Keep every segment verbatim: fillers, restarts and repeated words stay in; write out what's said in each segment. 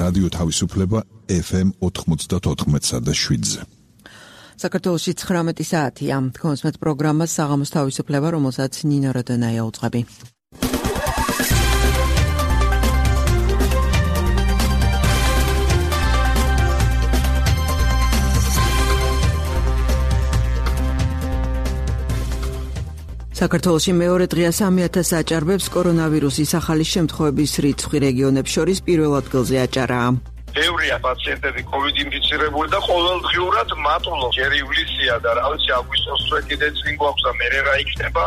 რადიო თავისუფლება ეფ ემ ოთხმოცდაოთხ და შვიდზე. საქართველოში ცხრამეტი საათია. თქვენს პროგრამას საღამოს თავისუფლება, რომელსაც ნინო როდონაია უძღვები. საქართველოში მეორე დღეა სამი ათას აჭარბებს კორონავირუსის ახალი შემთხვევების რიცხვი რეგიონებს შორის პირველ ადგილზე აჭარა. ბევრია პაციენტები COVID ინფიცირებული და ყოველდღიურად მატულობს. ჯერ ივლისია და რა ვიცი აგვისტოს წვე კიდე წინ გვაქვს და მერე რა იქნება.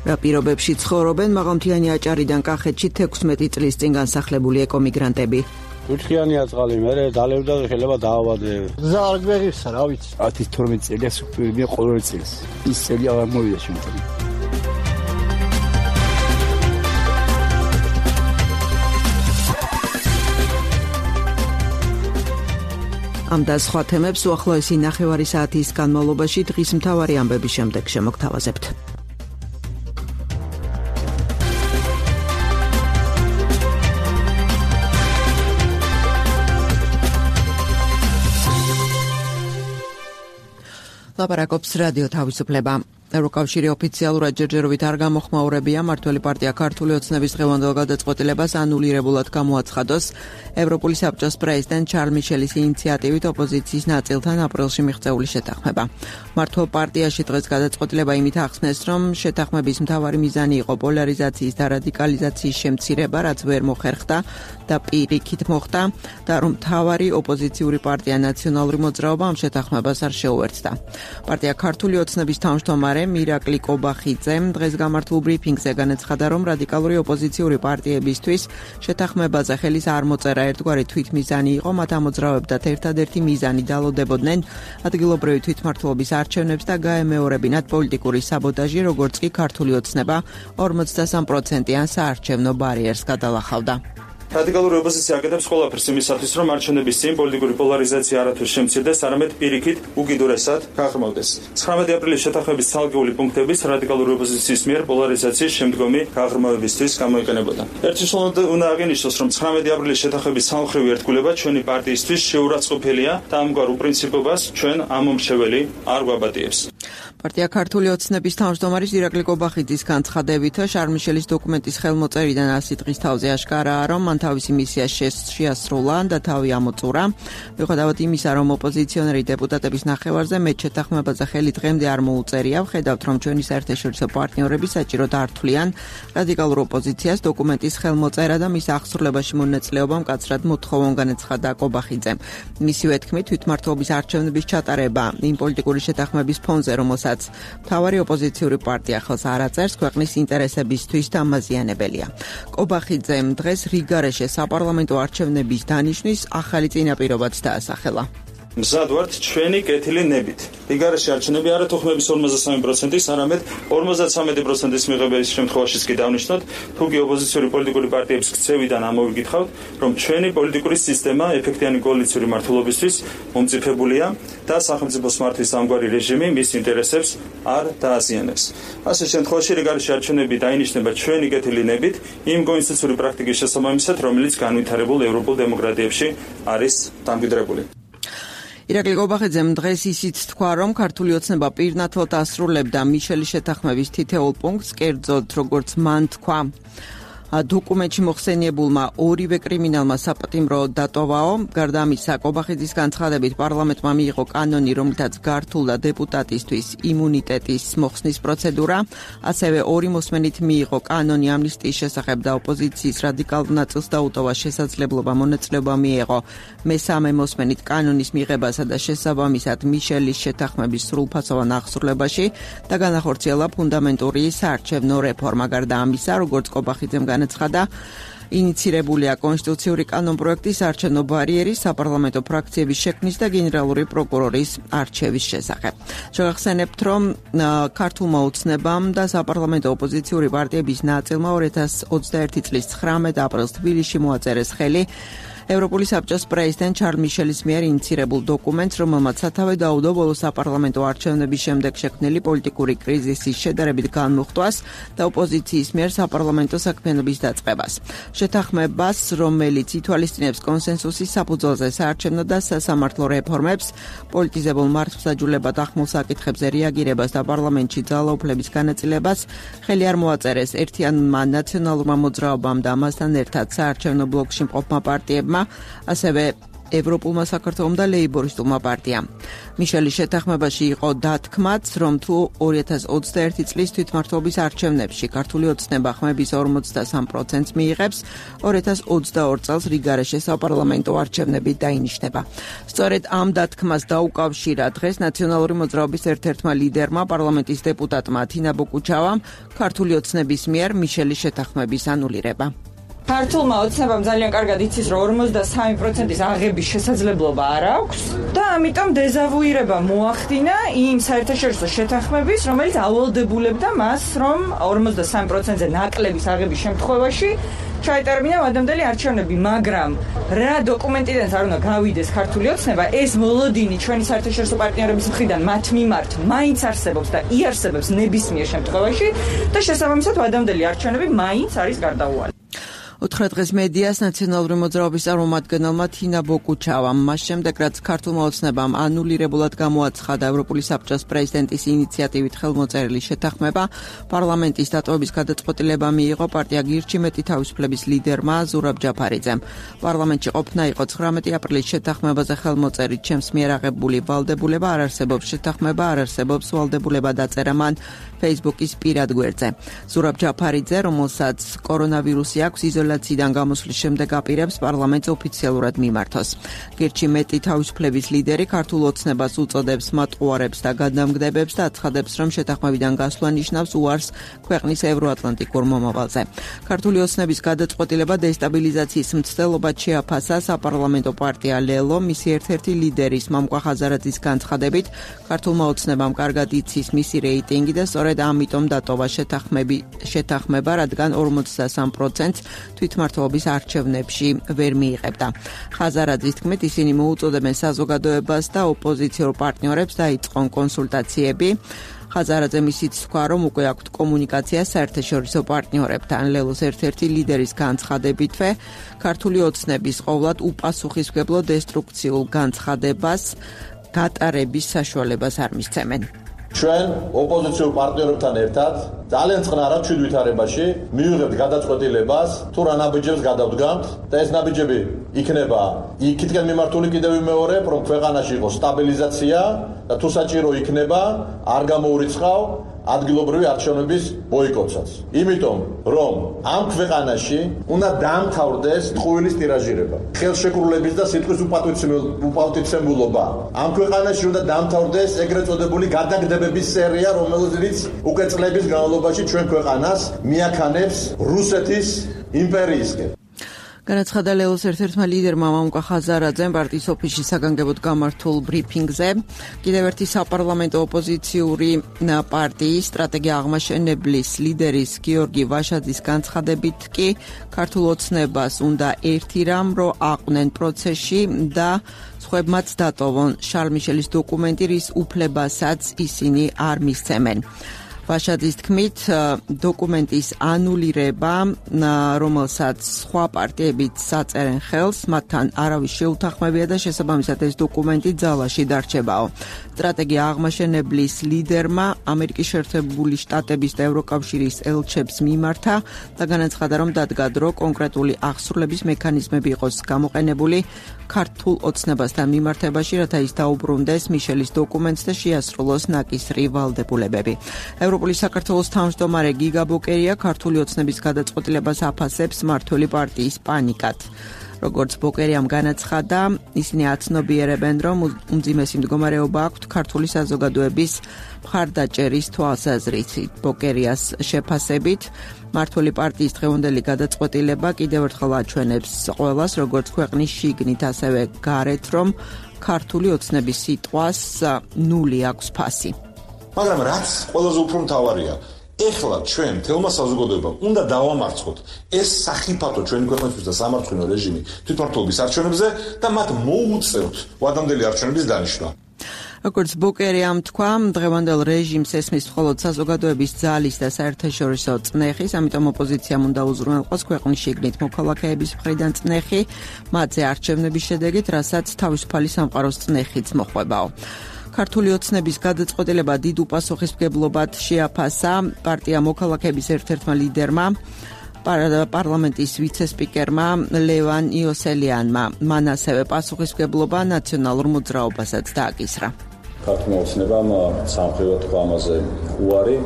რა პირობებში ცხოვრობენ მაღალმთიანი აჭარიდან კახეთში თექვსმეტი წლის წინ განსახლებული ეკომიგრანტები. უჩხიანია წყალი, მე დალევდა და შეიძლება დაავადე. გზა არ გვერიხსა, რა ვიცი. ათი თორმეტი წელია სუპერმია ყოველ წელს. ის წელი აღარ მოვიდა შემთხვევით. ამ და სხვა თემებს უახლოესი ნახევარი საათის განმავლობაში დღის მთავარი ამბების შემდეგ შემოგთავაზებთ. ლაპარაკობს რადიო თავისუფლება. ევროკავშირი ოფიციალურად ჯერჯერობით არ გამოხმაურებია მმართველი პარტია ქართული ოცნების დღევანდელ გადაწყვეტილებას ანულირებულად გამოაცხადოს ევროპული საბჭოს პრეზიდენტ ჩარლ მიშელის ინიციატივით ოპოზიციის ნაწილთან აპრილში მიღწეული შეთანხმება. მმართველ პარტიაში დღეს გადაწყვეტილება იმით ახსნეს, რომ შეთანხმების მთავარი მიზანი იყო პოლარიზაციის და რადიკალიზაციის შემცირება, რაც ვერ მოხერხდა და პირიქით მოხდა და რომ მთავარი ოპოზიციური პარტია ნაციონალური მოძრაობა ამ შეთანხმებას არ შეუერთდა. პარტია ქართული ოცნების თავმჯდომარე მირაკლი კობახიძემ დღეს გამართულ ბრიფინგზე განაცხადა, რომ რადიკალური ოპოზიციური პარტიებისთვის შეთანხმებაზე ხელის არ მოწერა ერთგვარი თვითმიზანი იყო, მათ ამოძრავებდათ ერთადერთი მიზანი დალოდებოდნენ ადგილობრივი თვითმმართველობის არჩევნებს და გაემეორებინათ პოლიტიკური საბოტაჟი, როგორც კი ქართული ოცნება ორმოცდასამ პროცენტიან საარჩევნო ბარიერს გადალახავდა. რადიკალური ოპოზიცია აკეთებს ყველაფერს იმისათვის, რომ არჩევნების წინ პოლიტიკური პოლარიზაცია არათუ შემცირდეს, არამედ პირიქით უკიდურესად გაღრმავდეს. ცხრამეტი აპრილის შეთანხმების ცალკეული პუნქტების რადიკალური ოპოზიციის მიერ პოლარიზაციის შემდგომი გაღრმავებისთვის გამოიყენებოდა. ერთშიშლოვნად უნდა აღინიშნოს, რომ ცხრამეტი აპრილის შეთანხმების სამხრივი ერთგულება ჩვენი პარტიისთვის შეურაცხყოფელია და ამგვარ უპრინციპობას ჩვენ ამომრჩეველი არ გვაბატიებს. პარტია ქართული ოცნების თავმჯდომარის ირაკლი კობახიძის განცხადებით, შარლ მიშელის დოკუმენტის ხელმოწერიდან ასი დღის თავზე აშკარაა, რომ მან თავისი მისია შეასრულა და თავი ამოწურა. მიუხედავად იმისა, რომ ოპოზიციონერი დეპუტატების ნახევარზე მეტ შეთანხმებაზე ხელი დღემდე არ მოუწერია, ვხედავთ, რომ ჩვენი საერთაშორისო პარტნიორები საჭიროდ არ თვლიან რადიკალურ ოპოზიციას დოკუმენტის ხელმოწერა და მის აღსრულებაში მონაწილეობა მკაცრად მოთხოვონ, განაცხადა კობახიძემ. მისივე თქმით, თვითმმართველობის არჩევნების ჩატარება იმ პოლიტიკური შეთანხმების ფონზე, რომელსაც მთავარი ოპოზიციური პარტია ხელს არ აწერს, ქვეყნის ინტერესებისთვის დამაზიანებელია. კობახიძემ დღეს რიგარეშე საპარლამენტო არჩევნების დანიშვნის ახალი წინაპირობაც დაასახელა. მზად ვართ ჩვენი კეთილი ნებით. რიგარეშე არჩევნები არა თუხმების ორმოცდასამი პროცენტის, არამედ ორმოცდათვრამეტი პროცენტის მიღების შემთხვევაშიც კი დავნიშნოთ, თუ კი ოპოზიციური პოლიტიკური პარტიების ქცევიდან ამოვიგითხავთ, რომ ჩვენი პოლიტიკური სისტემა ეფექტიანი კოალიციური მმართველობისთვის მომწიფებულია და სახელმწიფოს მართვის ამგვარი რეჟიმი მის ინტერესებს არ დააზიანებს. ასე შემთხვევაში რიგარეშე არჩევნები დაინიშნება ჩვენი კეთილი ნებით იმ კონსტიტუციური პრაქტიკის შესაბამისად, რომელიც განვითარებულ ევროპულ დემოკრატიებში არის დამკვიდრებული. ირაკლი კობახიძემ დღეს ისიც თქვა, რომ ქართული ოცნება პირნათლად ასრულებდა მიშელის შეთანხმების თითოეულ პუნქტს, კერძოდ როგორც მან თქვა, დოკუმენტში მოხსენიებულმა ორივე კრიმინალმა საპატიმრო დატოვაო. გარდა ამისა, კობახიძის განცხადებით პარლამენტმა მიიღო კანონი, რომლითაც გართულდა დეპუტატისთვის იმუნიტეტის მოხსნის პროცედურა. ასევე ორი მოსმენით მიიღო კანონი ამნისტიის შესახებ და ოპოზიციის რადიკალურ ნაწილს დაუტოვა შესაძლებლობა მონაწილეობა მიეღო მესამე მოსმენით კანონის მიღებასა და შესაბამისად მიშელის შეთანხმების სრულფასოვან აღსრულებაში და განახორციელა ფუნდამენტური საარჩევნო რეფორმა. გარდა ამისა, როგორც კობახიძემ განაცხადა, ინიცირებულია კონსტიტუციური კანონპროექტის არჩევნო ბარიერის საპარლამენტო ფრაქციების შექმნის და გენერალური პროკურორის არჩევის შესახებ. შევახსენებთ, რომ ქართულმა ოცნებამ და საპარლამენტო ოპოზიციური პარტიების ნაწილმა ორი ათას ოცდაერთი წლის ცხრამეტ აპრილს თბილისში მოაწერეს ხელი ევროპული საბჭოს პრეზიდენტ ჩარლ მიშელის მიერ ინიცირებულ დოკუმენტს, რომელმაც სათავე დაუდო ბოლო საპარლამენტო არჩევნების შემდეგ შექმნილი პოლიტიკური კრიზისის შედარებით განმუხტვას და ოპოზიციის მიერ საპარლამენტო საქმიანობის დაწყებას. შეთანხმებას, რომელიც ითვალისწინებს კონსენსუსის საფუძველზე საარჩევნო და სასამართლო რეფორმებს, პოლიტიზებულ მართლმსაჯულებად ახმულ საკითხებზე რეაგირებას და პარლამენტში ძალაუფლების განაწილებას, ხელი არ მოაწერეს ერთიანმა ნაციონალურმა მოძრაობამ და ამასთან ერთად საარჩევნო ბლოკში მყოფმა პარტიებმა, ასევე ევროპულმა საქართველომ და ლეიბორისტულმა პარტიამ. მიშელის შეთანხმებაში იყო დათქმაც, რომ თუ ორი ათას ოცდაერთი წლის თვითმმართველობის არჩევნებში ქართული ოცნება ხმების ორმოცდასამ პროცენტს მიიღებს, ორი ათას ოცდაორი წელს რიგარეშე საპარლამენტო არჩევნები დაინიშნება. სწორედ ამ დათქმას დაუკავშირა დღეს ნაციონალური მოძრაობის ერთ-ერთმა ლიდერმა, პარლამენტის დეპუტატმა თინა ბოკუჩავამ, ქართული ოცნების მიერ მიშელის შეთანხმების ანულირება. ქართულმა ოცნებამ ძალიან კარგად იცის, რომ ორმოცდასამი პროცენტის აღების შესაძლებლობა არ აქვს და ამიტომ დეზავუირება მოახდინა იმ საერთაშორისო შეთანხმების, რომელიც ავალდებულებდა მას, რომ ორმოცდასამი პროცენტზე ნაკლების აღების შემთხვევაში ჩაეტარებინა ადამდელი არჩევნები, მაგრამ რა დოკუმენტიდან არ უნდა გავიდეს ქართული ოცნება, ეს მოლოდინი ჩვენი საერთაშორისო პარტნიორების მხრიდან მათ მიმართ მაინც არსებობს და იარსებებს ნებისმიერ შემთხვევაში და შესაბამისად ადამდელი არჩევნები მაინც არის გარდაუვალი. უთხრა დღეს მედიას ნაციონალური მოძრაობის წარმომადგენელმა თინა ბოკუჩავამ, მას შემდეგ რაც ქართულმა ოცნებამ ანულირებულად გამოაცხადა ევროპული საბჭოს პრეზიდენტის ინიციატივით ხელმოწერილი შეთანხმება, პარლამენტის დატოვების გადაწყვეტილება მიიღო პარტია გირჩი მეტი თავისუფლების ლიდერმა ზურაბ ჯაფარიძემ. პარლამენტში ყოფნა იყო ცხრამეტი აპრილის შეთანხმებაზე ხელმოწერით, ჩემს მიერ აღებული ვალდებულება არ არსებობს, შეთანხმება არ არსებობს, ვალდებულება დაწერა მან Facebook-ის პირად გვერდზე. ზურაბ ჯაფარიძე, რომელსაც კორონავირუსი აქვს, იზოლაციიდან გამოსვლის შემდეგ აპირებს პარლამენტს ოფიციალურად მიმართოს. გირჩი მეტი თავისუფლების ლიდერი ქართულ ოცნებას უწოდებს მატყუარებს და გადამგდებებს და აცხადებს, რომ შეთანხმებიდან გასვლა ნიშნავს უარს ქვეყნის ევროატლანტიკურ მომავალზე. ქართული ოცნების გადაწყვეტილება დესტაბილიზაციის მცდელობად შეაფასა საპარლამენტო პარტია ლელო, მისი ერთ-ერთი ლიდერის მამკვა ხაზარაძის განცხადებით, ქართულმა ოცნებამ კარგად იცის მისი რეიტინგი და სწორედ ამიტომ დატოვა შეთანხმები შეთანხმება, რადგან ორმოცდასამ პროცენტს თვითმმართველობის არჩევნებში ვერ მიიღებდა. ხაზარაძის თქმით, ისინი მოუწოდებენ საზოგადოებას და ოპოზიციურ პარტნიორებს დაიწყონ კონსულტაციები. ხაზარაძემ ისიც თქვა, რომ უკვე აქვთ კომუნიკაცია საერთაშორისო პარტნიორებთან. ლელოს ერთ-ერთი ლიდერის განცხადებითვე, ქართული ოცნების ყოვლად უპასუხისმგებლო დესტრუქციულ განცხადებას გატარების საშუალებას არ მისცემენ. ჩვენ ოპოზიციურ პარტნიორებთან ერთად ძალიან წყნარად ჩვიდ ვითარებაში მივიღებთ გადაწყვეტილებას, თუ რა ნაბიჯებს გადავდგამთ და ეს ნაბიჯები იქნება იქითკენ მიმართული კიდევ ვიმეორებ, რომ ქვეყანაში იყოს სტაბილიზაცია და თუ საჭირო იქნება, არ გამოურიცხავ ადგილობრივი არჩევნების ბოიკოტსაც. იმიტომ, რომ ამ ქვეყანაში უნდა დაამთავრდეს ტყუილის ტირაჟირება, ხელშეკრულების და სიტყვის უპატივცემულობა. ამ ქვეყანაში უნდა დაამთავრდეს ეგრეთ წოდებული გადაგდებების სერია, რომელიც უკვე წლების განმავლობაში ჩვენ ქვეყანას მიაქანებს რუსეთის იმპერიისკენ. განაცხადა ლელოს ერთ-ერთმა ლიდერმა მამკვა ხაზარაძემ პარტიის ოფისში საგანგებოდ გამართულ ბრიფინგზე. კიდევ ერთი საპარლამენტო ოპოზიციური პარტიის სტრატეგია აღმაშენებლის ლიდერის გიორგი ვაშაძის განცხადებით კი ქართულ ოცნებას უნდა ერთი რამ, რომ აყვნენ პროცესში და სხვებმაც დატოვონ შარლ მიშელის დოკუმენტი, რის უფლებასაც ისინი არ მისცემენ. ვაშაძის თქმით, დოკუმენტის ანულირება, რომელსაც სხვა პარტიებიც საწერენ ხელს, მათთან არავის შეუთანხმებია და შესაბამისად ეს დოკუმენტი ძალაში დარჩებაო. სტრატეგია აღმაშენებლის ლიდერმა ამერიკის შეერთებული შტატების და ევროკავშირის ელჩებს მიმართა და განაცხადა, რომ დადგა დრო კონკრეტული აღსრულების მექანიზმები იყოს გამოყენებული ქართულ ოცნებასთან მიმართებაში, რათა ის დაუბრუნდეს მიშელის დოკუმენტს და შეასრულოს ნაკისრი ვალდებულებები. ევროპული საქართველოს თავმჯდომარე გიგა ბოკერია ქართული ოცნების გადაწყვეტილებას აფასებს მმართველი პარტიის პანიკად. როგორც ბოკერიამ განაცხადა, ისინი აცნობიერებენ, რომ უმძიმესი მდგომარეობა აქვთ ქართული საზოგადოების მხარდაჭერის თვალსაზრისით. ბოკერიას შეფასებით, მმართველი პარტიის დღევანდელი გადაწყვეტილება კიდევ ერთხელ აჩვენებს ყველას, როგორც ქვეყნის შიგნით, ასევე გარეთ, რომ ქართული ოცნების სიტყვას ნული აქვს ფასი. მაგრამ რაც ყველაზე უფრო მთავარია, ეხლა ჩვენ თელმა საზოგადოებამ უნდა დავამარცხოთ ეს სახიფათო ჩვენი ქვეყნისთვის და სამართლიანო რეჟიმი თვითმმართველობის არჩევნებზე და მათ მოუწევთ ვადამდელი არჩევნების დანიშვნა. როგორც ბუკერიამ თქვა, დღევანდელ რეჟიმს ესმის მხოლოდ საზოგადოების ძალის და საერთაშორისო წნეხის, ამიტომ ოპოზიციამ უნდა უზრუნველყოს ქვეყნის შიგნით მოქალაქეების მხრიდან წნეხი, მათზე არჩევნების შედეგით, რასაც თავისუფალი სამყაროს წნეხიც მოხვებაო. ქართული ოცნების გადაწყვეტილება დიდ უპასუხისმგებლობად შეაფასა პარტია მოქალაქეების ერთ-ერთმა ლიდერმა, პარლამენტის ვიცე-სპიკერმა ლევან იოსელიანმა. მან ასევე პასუხისმგებლობა ნაციონალურ მოძრაობასაც დააკისრა. ქართულმა ოცნებამ სამხედრო თქვა ამაზე უარი,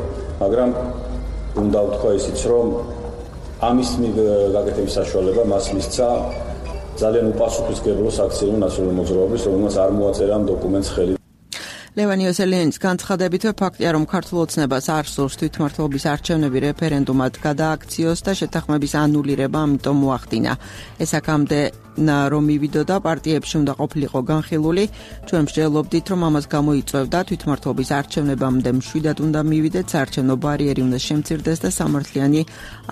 მაგრამ უნდა ვთქვა ისიც, რომ ამის გაკეთების საშუალება მას მისცა ძალიან უპასუხისმგებლო საქციელო ნაციონალური მოძრაობის, რომელსაც არ მოაწერა ამ დოკუმენტს ხელი. ლევან იოსელიანის განცხადებით, ფაქტია, რომ ქართულ ოცნებას არ სურს თვითმმართველობის არჩევნები რეფერენდუმად გადააქციოს და შეთანხმების ანულირება, ამიტომ მოახდინა. ეს აქამდე რომ მივიდოდა პარტიებში უნდა ყოფილიყო განხილული, ჩვენ მსჯელობდით, რომ ამას გამოიწვევდა თვითმმართველობის არჩევნებამდე მშვიდად უნდა მივიდეთ, საარჩევნო ბარიერი უნდა შემცირდეს და სამართლიანი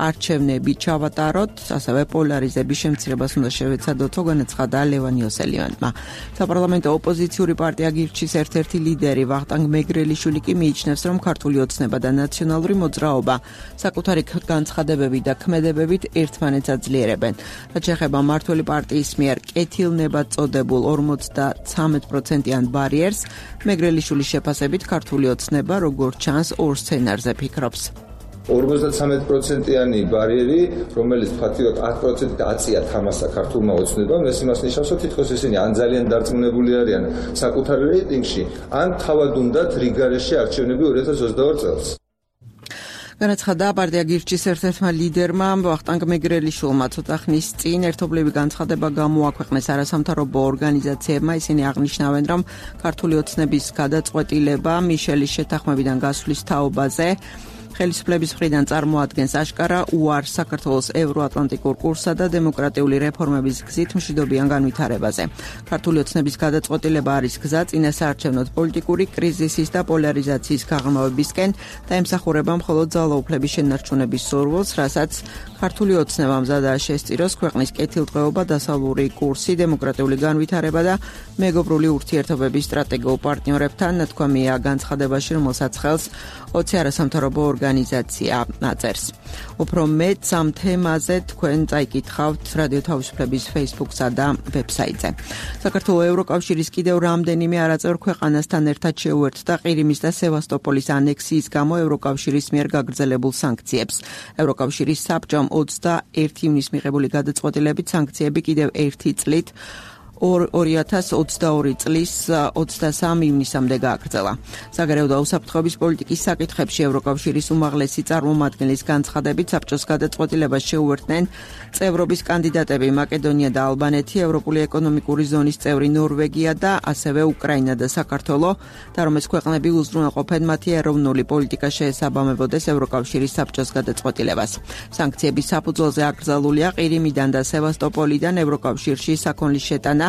არჩევნები ჩავატაროთ, ასევე პოლარიზების შემცირებას უნდა შევეცადოთო, განაცხადა ლევან იოსელიანმა. საპარლამენტო ოპოზიციური პარტია გირჩის ერთ-ერთი ლიდერი ვახტანგ მეგრელიშვილი კი მიიჩნევს, რომ ქართული ოცნება და ნაციონალური მოძრაობა საკუთარი განცხადებებით და ქმედებებით ერთმანეთს აძლიერებენ. რაც შეეხება მმართველი პარტიის მიერ კეთილნებად წოდებულ ორმოცდათვრამეტ პროცენტიან ბარიერს, მეგრელიშვილის შეფასებით ქართული ოცნება როგორც ჩანს ორ სცენარზე ფიქრობს. ორმოცდათვრამეტ პროცენტიანი ბარიერი, რომელიც ფაქტიურად ათ პროცენტით აწია თამასა ქართულმა ოცნებამ, ეს იმას ნიშნავს, რომ თითქოს ისინი ან ძალიან დარწმუნებული არიან საკუთარ რეიტინგში, ან თავად უნდათ რიგარეში არჩევნები ორი ათას ოცდაორ წელს. განაცხადა პარტია გირჩის ერთ-ერთმა ლიდერმა ვახტანგ მეგრელიშვილმა ცოტა ხნის წინ ერთობლივი განცხადება გამოაქვეყნეს არასამთავრობო ორგანიზაციებმა. ისინი აღნიშნავენ, რომ ქართული ოცნების გადაწყვეტილება მიშელის შეთანხმებიდან გასვლის თაობაზე ხელისუფლების მხრიდან წარმოადგენს აშკარა უარს საქართველოს ევროატლანტიკურ კურსსა და დემოკრატიული რეფორმების გზით მშვიდობიან განვითარებაზე. ქართული ოცნების გადაწყვეტილება არის გზა წინასაარჩევნო პოლიტიკური კრიზისის და პოლარიზაციის გაღრმავებისკენ და ემსახურება მხოლოდ ძალაუფლების შენარჩუნების სურვილს, რასაც ქართული ოცნება მზადაა შესწიროს ქვეყნის კეთილდღეობა, დასავლური კურსი, დემოკრატიული განვითარება და მეგობრული ურთიერთობების სტრატეგიულ პარტნიორებთან, ნათქვამია განცხადებაში, რომელსაც ხელს ოცი არასამთავრობო ორგანიზაცია აწერს. უფრო მეტ ამ თემაზე თქვენ წაიკითხავთ რადიო თავისუფლების Facebook-სა და ვებსაიტზე. საქართველოს ევროკავშირის კიდევ რამდენიმე არაწევრ ქვეყანასთან ერთად შეუერთდა ყირიმის და სევასტოპოლის ანექსიის გამო ევროკავშირის მიერ გაგრძელებულ სანქციებს. ევროკავშირის საბჭომ ოცდაერთი ივნისს მიღებული გადაწყვეტილებით სანქციები კიდევ ერთი წლით ორი ათას ოცდაორი წლის ოცდასამი ივნისამდე გააგრძელა. საგარეო და უსაფრთხოების პოლიტიკის საკითხებში ევროკავშირის უმაღლესი წარმომადგენლის განცხადებით საბჭოს გადაწყვეტილებას შეუერთდნენ წევრობის კანდიდატები მაკედონია და ალბანეთი, ევროპული ეკონომიკური ზონის წევრი ნორვეგია და ასევე უკრაინა და საქართველო, და რომ ეს ქვეყნები უზრუნველყოფენ მათი ეროვნული პოლიტიკა შეესაბამებოდეს ევროკავშირის საბჭოს გადაწყვეტილებას. სანქციების საფუძველზე აკრძალულია ყირიმიდან და სევასტოპოლიდან ევროკავშირში საქონლის შეტანა,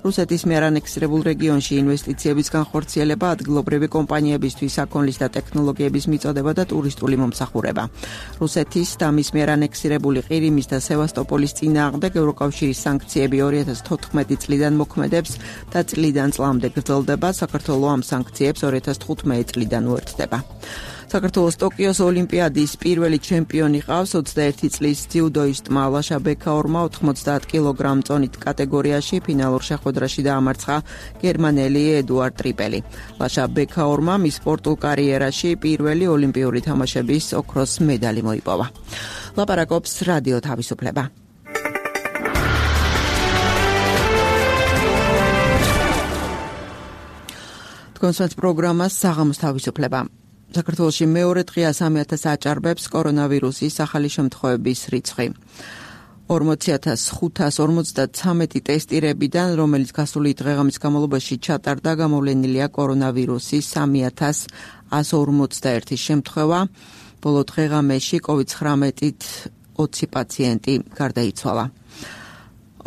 რუსეთის მიერ ანექსირებულ რეგიონში ინვესტიციების განხორციელება, ადგილობრივი კომპანიებისთვის საქონლის და ტექნოლოგიების მიწოდება და ტურისტული მომსახურება. რუსეთის და მის მიერ ანექსირებული ყირიმის და სევასტოპოლის წინააღმდეგ ევროკავშირის სანქციები ორი ათას თოთხმეტი წლიდან მოქმედებს და წლიდან წლამდე გრძელდება. საქართველოს ამ სანქციებს ორი ათას თხუთმეტი წლიდან უერთდება. საქართველოს ტოკიოს ოლიმპიადის პირველი ჩემპიონი ყავს ოცდაერთი წლის ძიუდოისტმა ლაშა ბექაურმა ოთხმოცდაათ კილოგრამ წონით კატეგორიაში ფინალურ შეხვედრაში დაამარცხა გერმანელი ედუარდ ტრიპელი. ლაშა ბექაურმა მის სპორტულ კარიერაში პირველი ოლიმპიური თამაშების ოქროს მედალი მოიპოვა. ლაპარაკობს რადიო თავისუფლება. თქვენს პროგრამას საღამოს თავისუფლება. საქართველოში მეორე დღეა სამი ათას აჭარბებს კორონავირუსის ახალი შემთხვევების რიცხვი. ორმოცი ათას ხუთას ორმოცდათვრამეტი ტესტირებიდან, რომელიც გასული დღეღამის განმავლობაში ჩატარდა, გამოვლენილია კორონავირუსის სამი ათას ასი ორმოცდაერთი შემთხვევა. ბოლო დღეღამეში კოვიდ ცხრამეტით ოცი პაციენტი გარდაიცვალა.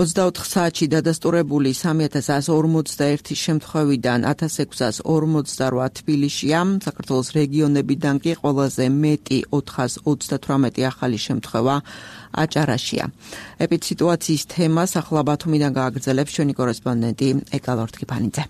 ოცდაოთხ საათში დადასტურებული სამი ათას εκατო ორმოცდაერთი შემთხვევიდან ათას ექვსას ორმოცდარვა თბილისშია, საქართველოს რეგიონებიდან კი ყველაზე მეტი ოთხას ოცდათვრამეტი ახალი შემთხვევა აჭარაშია. ეპიდსიტუაციის თემას ახლა ბათუმიდან გააგრძელებს ჩვენი კორესპონდენტი ეკალორთ კიფანიძე.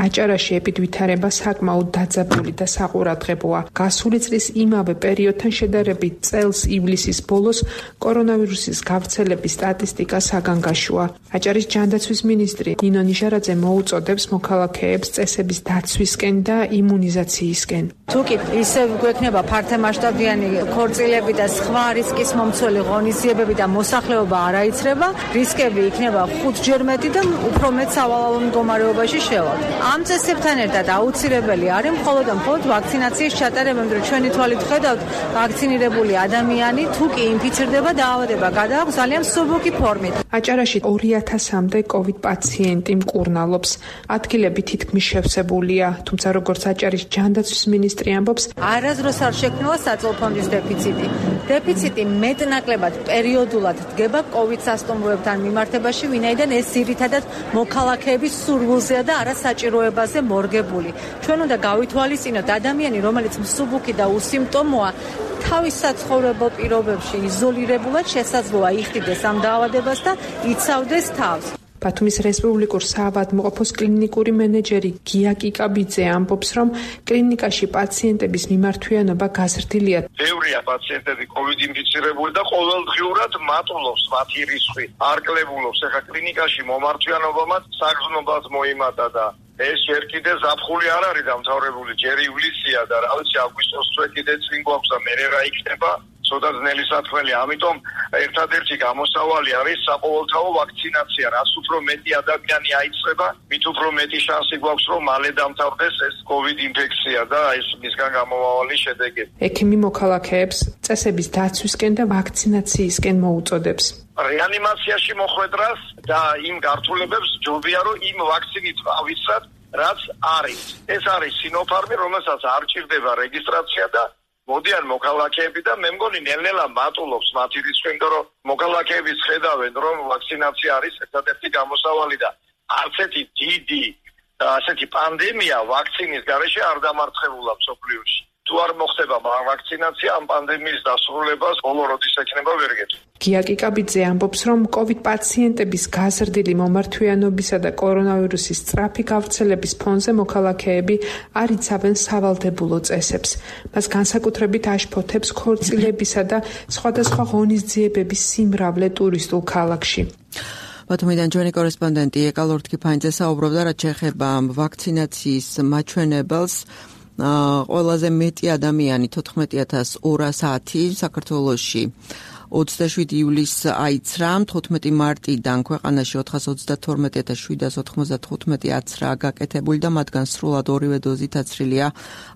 აჭარაში ეპიდვითარება საკმაოდ დაძაბული და საყურადღებოა. გასული წლის იმავე პერიოდთან შედარებით წელს ივლისის ბოლოს კორონავირუსის გავრცელების სტატისტიკა საგანგაშოა. აჭარის ჯანდაცვის მინისტრი ნინო ნიჟარაძე მოუწოდებს მოქალაქეებს წესების დაცვისკენ და იმუნიზაციისკენ. თუკი ისევ გვექნება ფართომასშტაბიანი ქორწილები და სხვა რისკის მომცველი ღონისძიებები და მოსახლეობა არ აიცრება, რისკები იქნება ხუთჯერ მეტი და უფრო მეტ სავალალო მდგომარეობაში შევალთ. ამ წესებთან ერთად აუცილებელი არის მხოლოდ და მხოლოდ ვაქცინაციის ჩატარება, მაგრამ ჩვენი თვალით ხედავთ, ვაქცინირებული ადამიანი თუ კი ინფიცირდება, დაავადება გადააქვს ძალიან მსუბუქი ფორმით. აჭარაში ორი ათასამდე კოვიდ პაციენტი მკურნალობს. ადგილები თითქმის შევსებულია, თუმცა როგორც აჭარის ჯანდაცვის მინისტრი ამბობს, არასდროს არ შექმნილა საწოლ ფონდის დეფიციტი. დეფიციტი მეტნაკლებად პერიოდულად დგება კოვიდ სასტუმროებთან მიმართებაში, ვინაიდან ეს ძირითადად მოქალაქეების სურვილზეა და არა საჭიროებაზე მორგებული. ჩვენ უნდა გავითვალისწინოთ ადამიანი, რომელიც მსუბუქი და უსიმპტომოა, თავის საცხოვრებელ პირობებში იზოლირებულად შესაძლოა იხდიდეს ამ დაავადებას და იცავდეს თავს. ბათუმის რესპუბლიკურ საავადმყოფოს კლინიკური მენეჯერი გია კიკაბიძე ამბობს, რომ კლინიკაში პაციენტების მიმართვიანობა გაზრდილია. ბევრია პაციენტები კოვიდ ინფიცირებული და ყოველდღიურად მატულობს მათი რისკი, არ კლებულობს. ეხლა კლინიკაში მომართვიანობამაც საგრძნობად მოიმატა და ეს ჯერ კიდე ზაფხული არ არის დამთავრებული, ჯერ ივლისია და რა ვიცი აგვისტოს წვე კიდე წინ გვაქვს და მერე რა იქნება. ცოტა ძნელი საქმეა, ამიტომ ერთადერთი გამოსავალი არის საყოველთაო ვაქცინაცია. რაც უფრო მეტი ადამიანი აიწყება, მით უფრო მეტი შანსი გვაქვს, რომ მალე დამთავრდეს ეს კოვიდ ინფექცია და ეს მისგან გამომავალი შედეგები. ექიმი მოქალაქეებს წესების დაცვისკენ და ვაქცინაციისკენ მოუწოდებს. რეანიმაციაში მოხვედრას და იმ გართულებებს ჯობია, რომ იმ ვაქცინით ავიცრათ, რაც არის. ეს არის სინოფარმი, რომელსაც არ ჭირდება რეგისტრაცია და მოდიან მოქალაქეები და მე მგონი ნელ-ნელა მატულობს მათი რისკი, იმიტომ რომ მოქალაქეებიც ხედავენ, რომ ვაქცინაცია არის ერთადერთი გამოსავალი და არც ერთი დიდი ასეთი პანდემია ვაქცინის გარეშე არ დამარცხებულა მსოფლიოში. თუ არ მოხდება ვაქცინაცია, ამ პანდემიის დასრულებას ბოლო როდის ექნება ვერ გეტყვი. გია კიკაბიძე ამბობს, რომ კოვიდ პაციენტების გაზრდილი მომართვიანობისა და კორონავირუსის სწრაფი გავრცელების ფონზე მოქალაქეები არ იცავენ სავალდებულო წესებს. მას განსაკუთრებით აშფოთებს ქორწილებისა და სხვადასხვა ღონისძიებების სიმრავლე ტურისტულ ქალაქში. ბათუმიდან ჩვენი კორესპონდენტი ეკალორთ კიფანიძე საუბრობდა, რაც შეეხება ვაქცინაციის მაჩვენებელს. ყველაზე მეტი ადამიანი თოთხმეტი ათას ორასი საქართველოში ოცდაშვიდი ივლისს აიცრა, თხუთმეტი მარტიდან ქვეყანაში ოთხას ოცდათორმეტი ათას შვიდას ოთხმოცდათხუთმეტი აცრაა გაკეთებული და მათგან სრულად ორივე დოზით აცრილია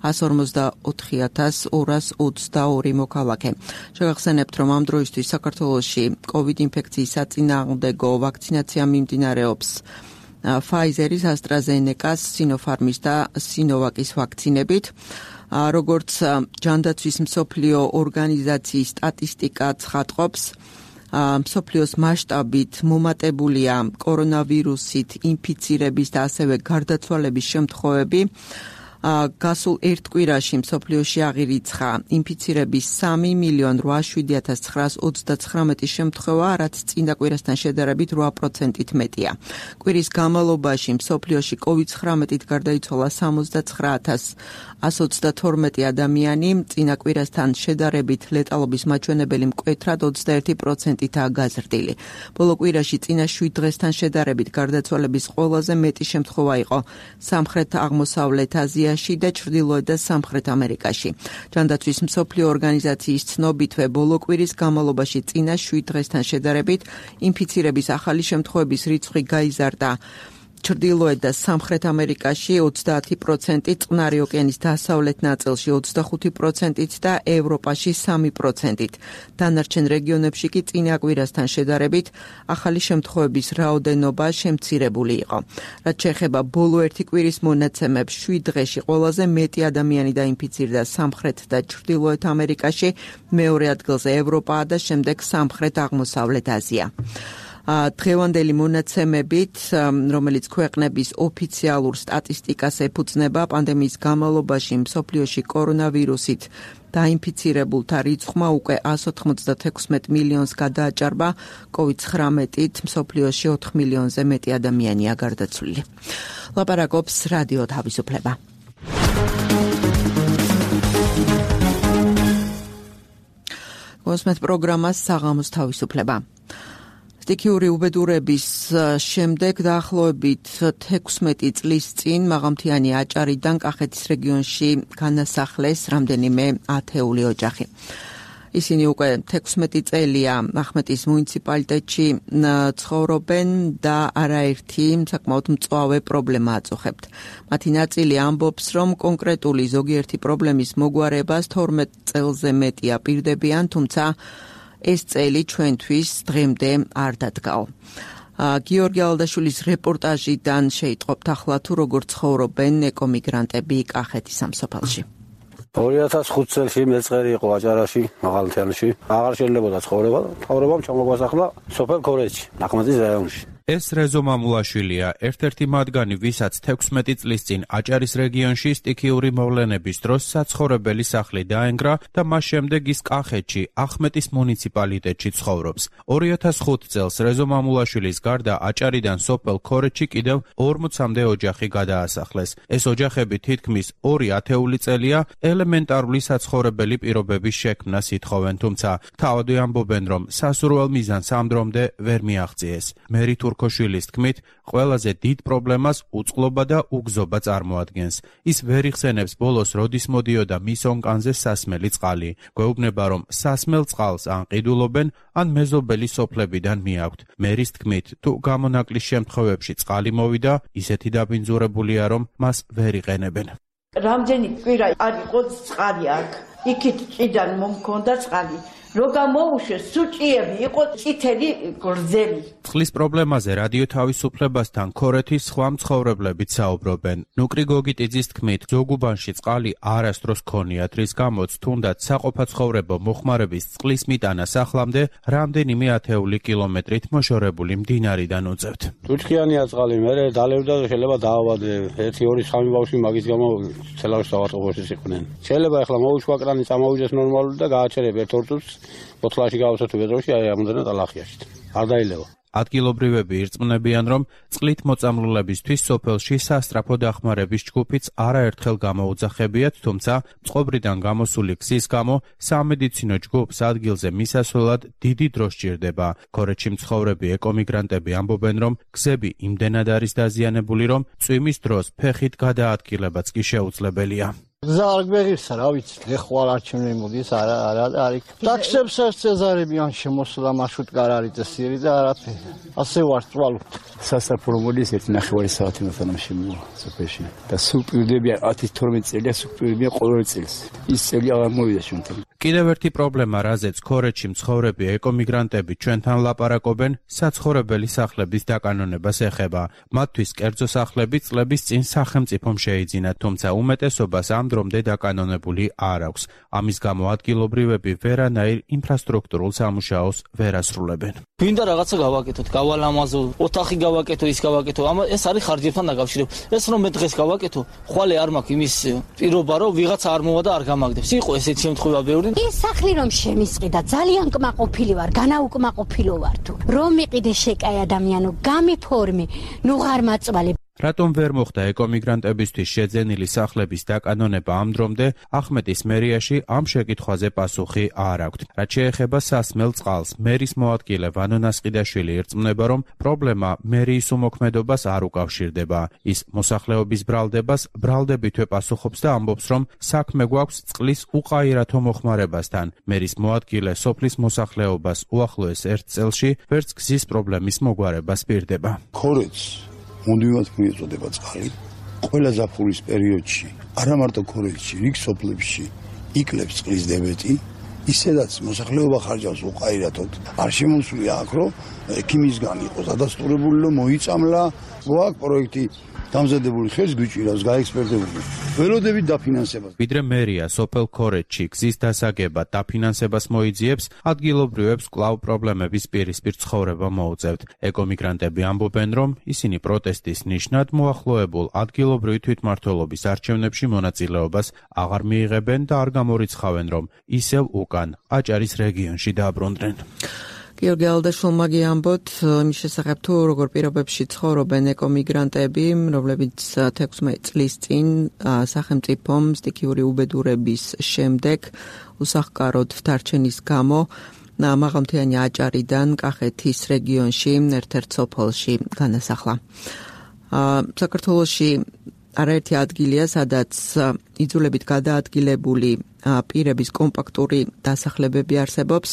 ასი ორმოცდაოთხი ათას ორას ოცდაორი მოქალაქე. შეგახსენებთ, რომ ამ დროისთვის საქართველოში კოვიდ ინფექციის საწინააღმდეგო ვაქცინაცია მიმდინარეობს Pfizer-ის, AstraZeneca-ს, Sinopharm-ის და Sinovac-ის ვაქცინებით. როგორც ჯანდაცვის მსოფლიო ორგანიზაციის სტატისტიკა ცხადყოფს, მსოფლიოს მასშტაბით მომატებულია კორონავირუსით ინფიცირების და ასევე გარდაცვალების შემთხვევები. გასულ ერთ კვირაში მსოფლიოში აღირიცხა ინფიცირების სამი მილიონი რვააშვიდი ათას ცხრაას ოცდაცხრამეტი შემთხვევა, რაც წინა კვირასთან შედარებით რვა პროცენტით მეტია. კვირის განმავლობაში მსოფლიოში კოვიდ ცხრამეტით გარდაიცვალა სამოცდაცხრა ათას ასი ოცდათორმეტი ადამიანი, წინა კვირასთან შედარებით ლეტალობის მაჩვენებელი მკვეთრად ოცდაერთი პროცენტითაა გაზრდილი. ბოლო კვირაში წინა შვიდ დღესთან შედარებით გარდაცვალების ყველაზე მეტი შემთხვევა იყო სამხრეთ აღმოსავლეთ აზიაში და ჩრდილოეთ და სამხრეთ ამერიკაში. ჯანდაცვის მსოფლიო ორგანიზაციის ცნობითვე ბოლო კვირის განმავლობაში წინა შვიდ დღესთან შედარებით ინფიცირების ახალი შემთხვევების რიცხვი გაიზარდა ჩრდილოეთ და სამხრეთ ამერიკაში ოცდაათი პროცენტი, წყნარი ოკეანის დასავლეთ ნაწილში ოცდახუთი პროცენტით და ევროპაში სამი პროცენტით. დანარჩენ რეგიონებში კი წინა კვირასთან შედარებით ახალი შემთხვევების რაოდენობა შემცირებული იყო. რაც შეეხება ბოლო ერთი კვირის მონაცემებს, შვიდ დღეში ყველაზე მეტი ადამიანი დაინფიცირდა სამხრეთ და ჩრდილოეთ ამერიკაში, მეორე ადგილზე ევროპაა და შემდეგ სამხრეთ აღმოსავლეთ აზია. დღევანდელი მონაცემებით, რომელიც ქვეყნების ოფიციალურ სტატისტიკას ეფუძნება, პანდემიის განმავლობაში მსოფლიოში კორონავირუსით დაინფიცირებულთა რიცხვმა უკვე εκατს ოცდაექვსმეტ მილიონს გადააჭარბა, კოვიდ ცხრამეტით მსოფლიოში ოთხ მილიონზე მეტი ადამიანია გარდაცვლილი. ლაპარაკობს რადიო თავისუფლება. გოსმეთ პროგრამას საღამოს თავისუფლება. სტიქიური უბედურების შემდეგ დაახლოებით თექვსმეტი წლის წინ მაღალმთიანი აჭარიდან კახეთის რეგიონში განასახლეს რამდენიმე ათეული ოჯახი. ისინი უკვე თექვსმეტი წელია ახმეტის მუნიციპალიტეტში ცხოვრობენ და არაერთი საკმაოდ მწვავე პრობლემა აწუხებთ. მათი ნაწილი ამბობს, რომ კონკრეტული ზოგიერთი პრობლემის მოგვარებას თორმეტ წელზე მეტია პირდებიან, თუმცა ეს წელი ჩვენთვის დღემდე არ დადგაო. გიორგი ალდაშვილის რეპორტაჟიდან შეიტყობთ ახლა თუ როგორ ცხოვრობენ ეკომიგრანტები კახეთის სამსოფელში. ორი ათას ხუთ წელს მეწყერი იყო აჭარაში, მაღალმთიანში. აღარ შეიძლებოდა ცხოვრება, თავრობამ ჩამოგვასახლა სოფელ ქორეჯში, ახმეტის რაიონში. ეს რეზო მამულაშვილია, ერთ-ერთი მათგანი, ვისაც თექვსმეტი წლის წინ აჭარის რეგიონში სტიქიური მოვლენების დროს საცხოვრებელი სახლი დაენგრა და მას შემდეგ ის კახეთში, ახმეტის მუნიციპალიტეტში ცხოვრობს. ორი ათას ხუთ წელს რეზო მამულაშვილის გარდა აჭარიდან სოფელ ქორეჯში კიდევ ორმოცამდე ოჯახი გადაასახლეს. ეს ოჯახები თითქმის ორი ათეული წელია ელემენტარული საცხოვრებელი პირობების შექმნას ითხოვენ, თუმცა თავადვე ამბობენ, რომ სასურველ მიზანს ამ დრომდე ვერ მიაღწიეს. მერი თურქოშვილის თქმით, ყველაზე დიდ პრობლემას უწყლობა და უგზობა წარმოადგენს. ის ვერ იხსენებს ბოლოს როდის მოდიოდა მის ონკანზე სასმელი წყალი. გვეუბნება, რომ სასმელ წყალს ან ყიდულობენ, ან მეზობელი სოფლებიდან მიაქვთ. მერის თქმით, თუ გამონაკლის შემთხვევებში წყალი მოვიდა, ისეთი დაბინძურებულია, რომ მას ვერ იყენებენ. რამდენი კვირა არ იყო წყალი აქ. იქით ჭიდან მომქონდა წყალი. რო გამოუშვეს სუჭიები იყო წითელი გრძელი. წყლის პრობლემაზე რადიო თავისუფლებასთან ქორეთის სხვა მცხოვრებლებიც საუბრობენ. ნუკრი გოგიტიძის თქმით, ზოგუბანში წყალი არასდროს ქონიათ, რის გამოც თუნდაც საყოფაცხოვრებო მოხმარების წყლის მიტანა სახლამდე რამდენიმე ათეული კილომეტრით მოშორებული მდინარიდან უწევთ. თუჩქიანია წყალი, მე დალევდა და შეიძლება დაავადე. ერთი ორი სამი ბავშვი მაგის გამო ცელავში საავადმყოფოში იყვნენ. შეიძლება ახლა მოუშვა კრანი, წამოვიდეს ნორმალური და გააჩერებ ერთ ორ წუთს. ოთხლაში გავასწრებ ბედროში, აი ამდენად ალახიაში. არ დაილევა. ადგილობრივები ირწმუნებიან, რომ წყლით მოწამლულებისთვის სოფელში სასტრაფო დახმარების ჯგუფიც არაერთხელ გამოუძახებიათ, თუმცა წყობრიდან გამოსული გზის გამო სამედიცინო ჯგუფს ადგილზე მისასვლელად დიდი დრო სჭირდება. ქორეჯში მცხოვრები ეკომიგრანტები ამბობენ, რომ გზები იმდენად არის დაზიანებული, რომ წვიმის დროს ფეხით გადაადგილებაც კი შეუძლებელია. გზა არ გვეღირსა, რა ვიცი, ეხვალ არჩევნები მოდის, არა, არა, არის. ტაქსებს არ წეზარებიან შემოსვლა მარშრუტკა არ არის წესიერი და არაფერი. ასე ვარ წვალობთ. სასაფრო მოდის ერთი ნახევარი საათი მოთანამ შემოვა სოფელში. და სულ პირდებიან ათი თორმეტი წელია, სულ პირდებიან ყოველ წელს. ის წელი აღარ მოვიდა ჩვენთან. კიდევ ერთი პრობლემა, რაზეც ქორეჯში მცხოვრები ეკომიგრანტები ჩვენთან ლაპარაკობენ, საცხოვრებელი სახლების დაკანონებას ეხება. მათთვის კერძო სახლები წლების წინ სახელმწიფომ შეიძინათ, თუმცა უმეტესობას ამ დრომდე დაკანონებული არ აქვს. ამის გამო ადგილობრივები ვერანაირ ინფრასტრუქტურულ სამუშაოს ვერ ასრულებენ. გვინდა რაღაცა გავაკეთოთ, გავალამაზო, ოთახი გავაკეთო, ის გავაკეთო. ეს არის ხარჯებთან დაკავშირებული. ეს რომ მე დღეს გავაკეთო, ხვალე არ მაქვს იმის პირობა, რომ ვიღაცა არ მოვა და არ გამაგდებს. იყო ესეთი შემთხვევა ბევრი. ის სახლი რომ შემისყიდა, ძალიან კმაყოფილი ვარ, განაუკმაყოფილო ვარ თუ. რომ მიყიდე შეკაი ადამიანო, გამიფორმე, ნუ ღარ მაწვალე. რატომ ვერ მოხდა ეკომიგრანტებისთვის შეძენილი სახლების დაკანონება ამ დრომდე, ახმეტის მერიაში ამ შეკითხვაზე პასუხი არ აქვთ. რაც შეეხება სასმელ წყალს, მერის მოადგილე ვანო ნასყიდაშვილი ირწმუნება, რომ პრობლემა მერიის უმოქმედობას არ უკავშირდება. ის მოსახლეობის ბრალდებას ბრალდებითვე პასუხობს და ამბობს, რომ საქმე გვაქვს წყლის უყაირათო მოხმარებასთან. მერის მოადგილე სოფლის მოსახლეობას უახლოეს ერთ წელში ვერც გზის პრობლემის მოგვარებას პირდება. ქორეჯს მუდმივად მიეწოდება წყალი. ყველა ზაფხულის პერიოდში, არა მარტო ქორეჯში, რიგ სოფლებში იკლებს წყლის დებეტი ისედაც მოსახლეობა ხარჯავს უყაირათოდ. არ შემოსულია აქ, რომ ექიმისგან იყოს დადასტურებული, რომ მოიწამლა, გვაქვს პროექტი დამზადებული, ხელს გვიჭირავს გაექსპერტებული. ველოდებით დაფინანსებას. ვიდრე მერია სოფელ ქორეთში გზის დასაგებად დაფინანსებას მოიძიებს, ადგილობრივებს კვლავ პრობლემების პირისპირ ცხოვრება მოუწევთ. ეკომიგრანტები ამბობენ, რომ ისინი პროტესტის ნიშნად მოახლოებულ ადგილობრივი თვითმმართველობის არჩევნებში მონაწილეობას აღარ მიიღებენ და არ გამორიცხავენ, რომ ისევ უკან აჭარის რეგიონში დააბრუნდნენ. გიორგი ალდაშვილმა გიამბოთ იმის შესახებ თუ როგორ პირობებში ცხოვრობენ ეკომიგრანტები, რომლებიც თექვსმეტი წლის წინ სახელმწიფომ სტიქიური უბედურების შემდეგ უსახკაროდ დარჩენის გამო მაღალმთიანი აჭარიდან კახეთის რეგიონში ერთ-ერთ სოფელში განასახლა. საქართველოში არაერთი ადგილია, სადაც იძულებით გადაადგილებული პირების კომპაქტური დასახლებები არსებობს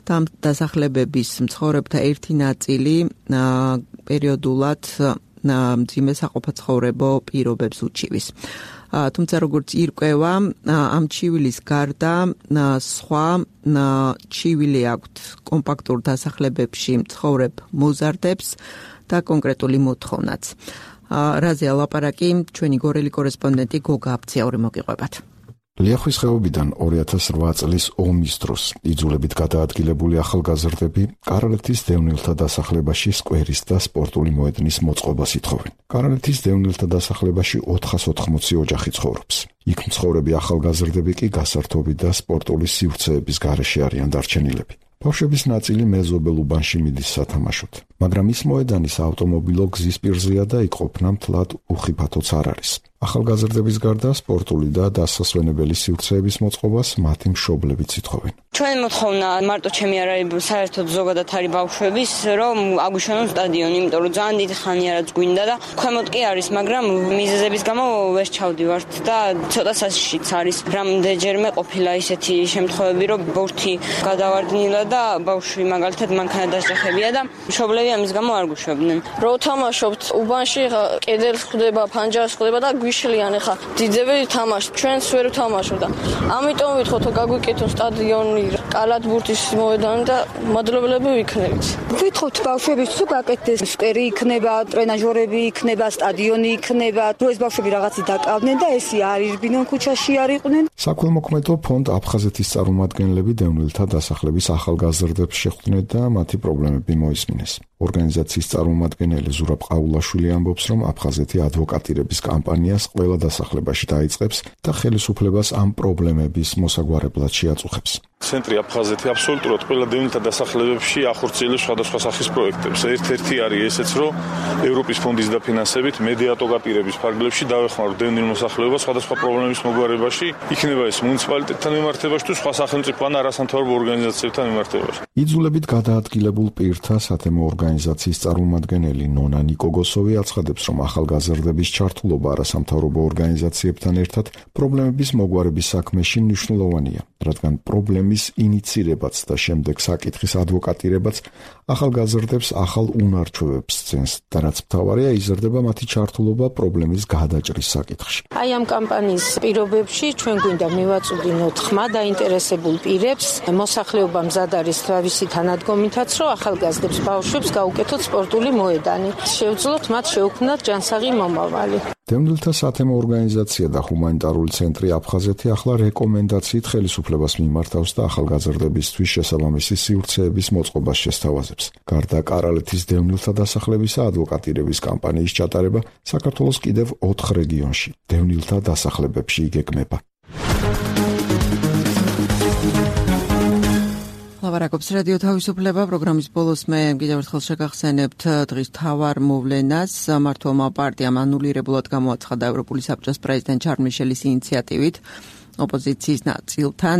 და ამ დასახლებების მცხოვრებთა ერთი ნაწილი პერიოდულად მძიმე საყოფაცხოვრებო პირობებს უჩივის. თუმცა როგორც ირკვევა, ამ ჩივილის გარდა სხვა ჩივილი აქვთ კომპაქტურ დასახლებებში მცხოვრებ მოზარდებს და კონკრეტული მოთხოვნაც. რაზე ალაპარაკი ჩვენი გორელი კორესპონდენტი გოგა აფციური მოგიყვებათ. ლიახვის ხეობიდან ორი ათას რვა წლის ომის დროს იძულებით გადაადგილებული ახალგაზრდები კარალეთის დევნილთა დასახლებაში სკვერის და სპორტული მოედნის მოწყობას ითხოვენ. კარალეთის დევნილთა დასახლებაში ოთხას ოთხმოცი ოჯახი ცხოვრობს. იქ მცხოვრები ახალგაზრდები კი გასართობი და სპორტული სივრცეების გარეშე არიან დარჩენილები. ბავშვების ნაწილი მეზობელ უბანში მიდის სათამაშოდ, მაგრამ ის მოედანის ავტომობილო გზის პირზეა და იქ ყოფნა მთლად უხიფათოც არ არის. ახალგაზრდების გარდა სპორტული და დასასვენებელი სივრცეების მოწყობას მათი მშობლებიც ითხოვენ. ჩვენი მოთხოვნა მარტო ჩემი არ არის, საერთოდ ზოგადად არის ბავშვების, რომ აგვიშენონ სტადიონი, იმიტომ რომ ძალიან დიდი ხანი არაც გვინდა და ქვემოთ კი არის, მაგრამ მიზეზების გამო ვერ ჩავდივართ და ცოტა საშიშიც არის. რამდენჯერმე ყოფილა ისეთი შემთხვევები, რომ ბურთი გადავარდნილა და ბავშვი მაგალითად მანქანა დასახებია და მშობლები ამის გამო არ გვიშვებდნენ. რო თამაშობთ უბანში, კედელს ხვდება, ფანჯარას ხვდება და გვიშლიან, ხა დიდები თამაშობ, ჩვენც ვერ ვთამაშობ და ამიტომ ვითხოვთ გაგვიკეთონ სტადიონი, კალათბურთის მოედანი და მადლობელები ვიქნებით. ვითხოვთ ბავშვების თუ გაკეთდეს სკვერი იქნება, ტრენაჟორები იქნება, სტადიონი იქნება, თუ ეს ბავშვები რაღაცი დაკავდნენ და ესი არ ირბინონ ქუჩაში არ იყვნენ. საქველმოქმედო ფონდ აფხაზეთის წარმომადგენლები დევნილთა დასახლების ახალგაზრდებს შეხვდნენ და მათი პრობლემები მოისმინეს. ორგანიზაციის წარმომადგენელი ზურაბ ყაულაშვილი ამბობს, რომ აფხაზეთი ადვოკატირების კამპანიას ყველა დასახლებაში დაიწყებს და ხელისუფლებას ამ პრობლემების მოსაგვარებლად შეაწუხებს. ცენტრი აფხაზეთი აბსოლუტურად ყველა დევნილთა დასახლებებში ახორციელებს სხვადასხვა სახის პროექტებს. ერთ-ერთი არის ესეც, რომ ევროპის ფონდის დაფინანსებით მედიატოგატირების ფარგლებში დავეხმაროთ დევნილ მოსახლეობას სხვადასხვა პრობლემის მოგვარებაში, იქნება ეს მუნიციპალიტეტთან მიმართებაში თუ სხვა სახელმწიფო ან არასამთავრობო ორგანიზაციებთან მიმართებაში. იძულებით გადაადგილებულ პირთა სათემო ორგანიზაციის წარმომადგენელი ნონა ნიკოგოსოვი აცხადებს, რომ ახალგაზრდების ჩართულობა არასამთავრობო ორგანიზაციებთან ერთად პრობლემების მოგვარების საქმეში მნიშვნელოვანია, რადგან პრობლემის ინიცირებაც და შემდეგ საკითხის ადვოკატირებაც ახალგაზრდებს ახალ უნარჩვევებს სცემს და რაც მთავარია, იზრდება მათი ჩართულობა პრობლემის გადაჭრის საკითხში. აი ამ კამპანიის პირობებში ჩვენ გვინდა მივაწვდინოთ ხმა დაინტერესებულ პირებს, მოსახლეობა მზად არის თავისი თანადგომითაც, რომ ახალგაზრდებს ბავშვებს გაუკეთოთ სპორტული მოედანი. შევძლოთ მათ შეუქმნათ ჯანსაღი მომავალი. დევნილთა სათემო ორგანიზაცია და ჰუმანიტარული ცენტრი აფხაზეთი ახლა რეკომენდაციით ხელისუფლებას მიმართავს და ახალგაზრდებისთვის შესაბამისი სივრცეების მოწყობას შესთავაზებს. გარდა კარალეთის დევნილთა დასახლებისა ადვოკატირების კამპანიის ჩატარება საქართველოს კიდევ ოთხ რეგიონში დევნილთა დასახლებებში იგეგმება. ლაპარაკობს რადიო თავისუფლება პროგრამის ბოლოს მე კიდევ ერთხელ შეგახსენებთ დღის მთავარ მოვლენას. მართლმა პარტიამ ანულირებულად გამოაცხადა ევროპული საბჭოს პრეზიდენტ შარლ მიშელის ინიციატივით ოპოზიციის ნაწილთან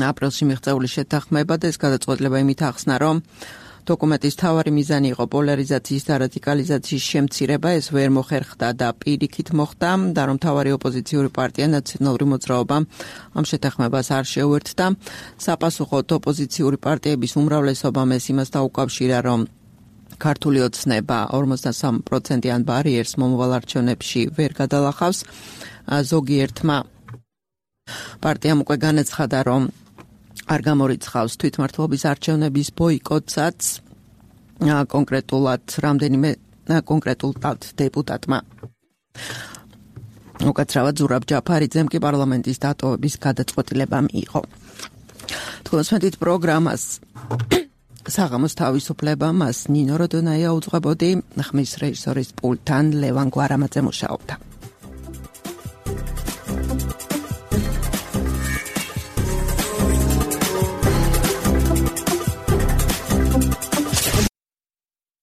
აპრილში მიღწეული შეთანხმება და ეს გადაწყვეტილება იმით ახსნა, რომ დოკუმენტის მთავარი მიზანი იყო პოლარიზაციის და რადიკალიზაციის შემცირება, ეს ვერ მოხერხდა და პირიქით მოხდა და რომ მთავარი ოპოზიციური პარტია ნაციონალური მოძრაობა ამ შეთანხმებას არ შეუერთდა. საპასუხოდ ოპოზიციური პარტიების უმრავლესობამ ეს იმას დაუკავშირა, რომ ქართული ოცნება ორმოცდასამი პროცენტიან ბარიერს მომავალ არჩევნებში ვერ გადალახავს. ზოგიერთმა პარტიამ უკვე განაცხადა, რომ არ გამორიცხავს თვითმმართველობის არჩევნების ბოიკოტსაც კონკრეტულად რამდენიმე კონკრეტულად დეპუტატმა. უკაცრავად ზურაბ ჯაფარიძემ კი პარლამენტის დატოვების გადაწყვეტილება მიიღო. თქვენს მეტით პროგრამას საღამოს თავისუფლება მას ნინო როდონაია უძღვებოდი, ხმის რეჟისორის პულტთან ლევან გვარამაძე მუშაობდა.